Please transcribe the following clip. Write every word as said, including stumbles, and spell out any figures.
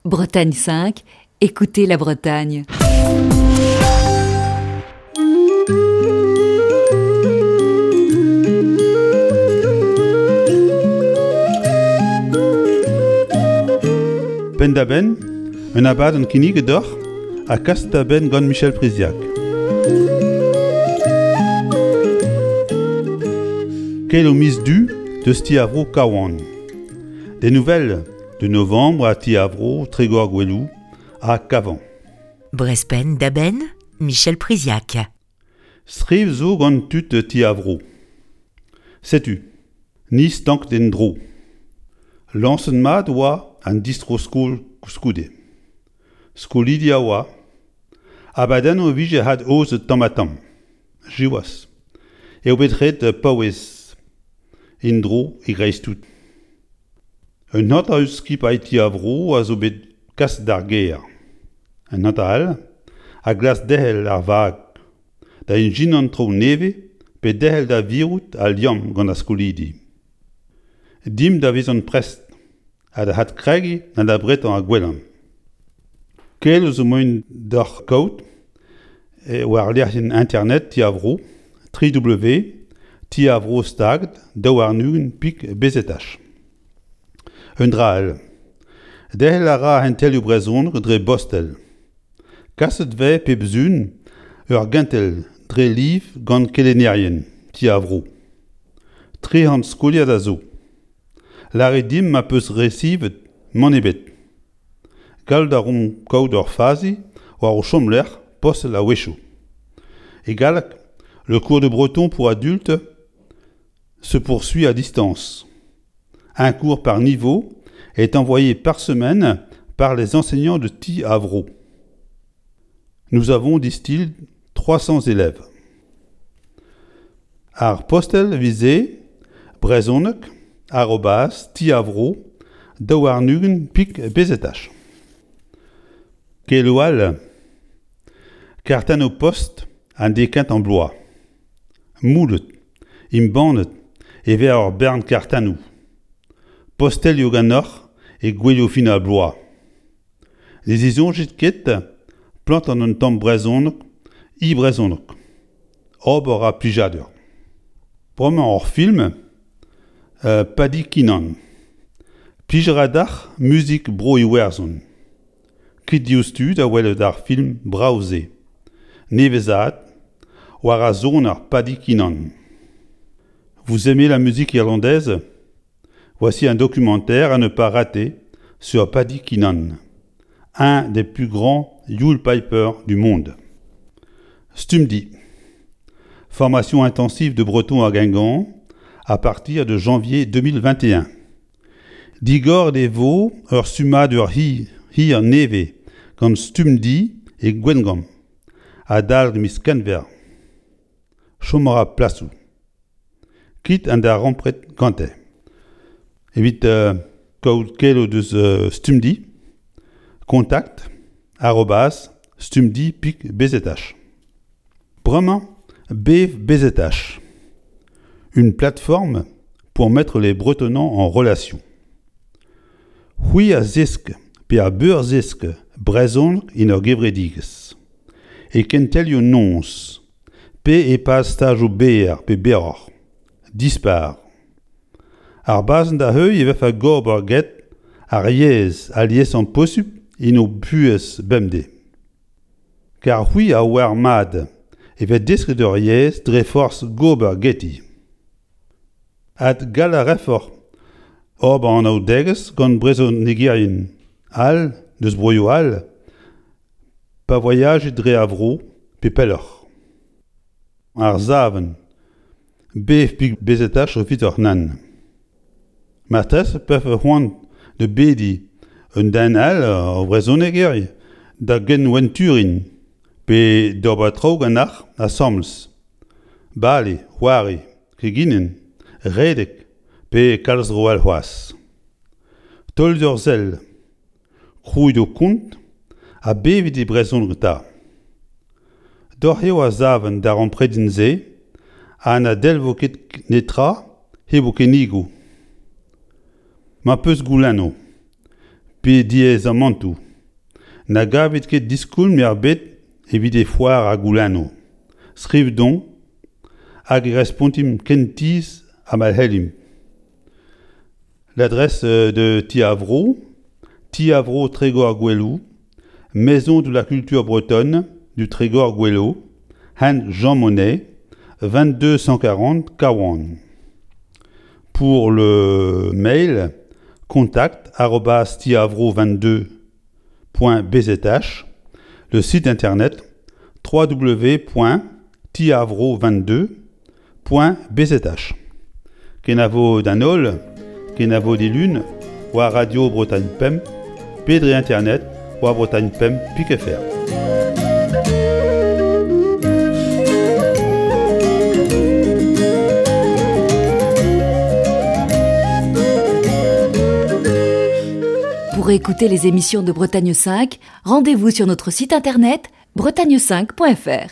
Bretagne cinq, écoutez la Bretagne. Penn-da-benn, un abadenn kinniget deoc'h ha kaset da benn gant Michel Priziac. Keloù miz Du deus Ti ar Vro Kawan. Des nouvelles de novembre à Ti ar Vro, Trégor-Gouelou ha Kavan. Brezh Penn-da-Benn, Michel Priziac. Striv zo gant tud Ti ar Vro. Setu, ni stank d'en dro. Lañset mat oa an distro-skol koulskoude. Skolidi a oa, abadennoù e vije had aozet tamm-ha-tamm. Siwazh, eo bet ret paouez en-dro e greiz-tout. Un hanter eus skipailh Ti ar Vro a zo bet kaset d'ar gêr. Un hanter all a glask derc'hel ar vag, da ijinañ traoù nevez pe derc'hel da virout al liamm gant ar skolidi. Dimp da vezañ prest ha da adkregiñ an abretañ ar gwellañ. Keloù zo moaien deoc'h kaout war lec'hienn internet Ti ar Vro, tri W Ti ar Vro stag daou warn-ugent pik B Z H. Un dra all. Derc'hel a ra kentelioù brezhoneg dre bostel. Kaset 'vez pep sizhun ur gentel dre liv gant kelennerien Ti ar Vro. Tri c'hant skoliad a zo. Lârit dimp ma peus resevet mann ebet. Gallout a reomp kaout ur fazi war ho chomlec'h postel a-wechoù. E galleg, le cours de breton pour adultes se poursuit à distance. Un cours par niveau est envoyé par semaine par les enseignants de Ti ar Vro. Nous avons, disent-ils, trois cents élèves. Ar postel vise brezhoneg arobase ti ar vro daou warn-ugent pik B Z H. Keloù all, kartennoù post an dekent en bloaz. Moulet, embannet e vez ur bern kartennoù. Postelioù ganeoc'h e gouelioù fin ar bloaz. Ne zisoñjit ket plantañ un tamm brezhoneg, e brezhoneg. Ober a plijadur. Bremañ hor film, euh, Paddy Keenan. Plij a ra deoc'h muzik bro Iwerzhon. Kit diouzhtu da welet ar film brav-se. Nevezad, war ar son ar Paddy Keenan. Vous aimez la musique irlandaise? Voici un documentaire à ne pas rater sur Paddy Keenan, un des plus grands Yule Pipers du monde. Stumdi. Formation intensive de breton à Guingamp à partir de janvier deux mille vingt et un. Digor de vo ur stummadur hi, hir nevez gant Stumdi e Gwengamp adalek miz Kenver. Chom a ra plasoù. Kit an da rampret gante. Evit, euh, kaout keloù deus, euh, Stumdi, contact arobase stumdi pik B Z H. Bremañ, B V B Z H. Une plateforme pour mettre les Bretonnants en relation. C'hwi a zesk pe a beur zesk brezhoneg en ur gevredigezh. E kentelioù noz, pe e pad stajoù berr pe berroc'h. Dispar. Ar bazenn da heuilh e vefe gober get ar yezh aliesañ posupl en ho buhez bemdez. Kar c'hwi a oar mat e vez desket ur yezh dre forzh gober geti. Ad gall a refoc'h ober an anaoudegezh gant brezhonegerien all deus broioù all pa voyajit dre ar vro pe pelloc'h. Ar savenn, B F pik B Z H evit hoc'h nann. Marteze pefe c'hoant da bediñ un den all ur brezhoneger da genwenturin pe d'ober traoù ganeoc'h asambles. Bale, c'hoari, keginen, redek pe kalz dro all c'hoazh. Taol d'ur sell, krouit ho kont ha bevit e brezhoneg 'ta. Doc'h eo a savenn d'ar ampredin-se ha na delvo ket netra hep ho kennigoù. Ma peus goulennoù, Pe diaezamantoù. Na gavit ket diskoulm ebet evit e foar ar goulennoù. Skrivit deomp hag e respontimp kentizh ha ma c'hellimp. L'adresse de Ti ar Vro, Ti ar Vro Trégor-Goueloù, Maison de la culture bretonne du Trégor-Goueloù, hent Jean Monnet, vingt-deux cent quarante Kawan. Pour le mail, contact arobase tiavro vingt-deux point b z h, le site internet w w w point tiavro vingt-deux point b z h. Kenavo d'an holl, kenavo dilun, war Radio Bretagne Pemp, pe dre internet, war Bretagne Pemp pik F R. Pour écouter les émissions de Bretagne cinq, rendez-vous sur notre site internet bretagne cinq point F R.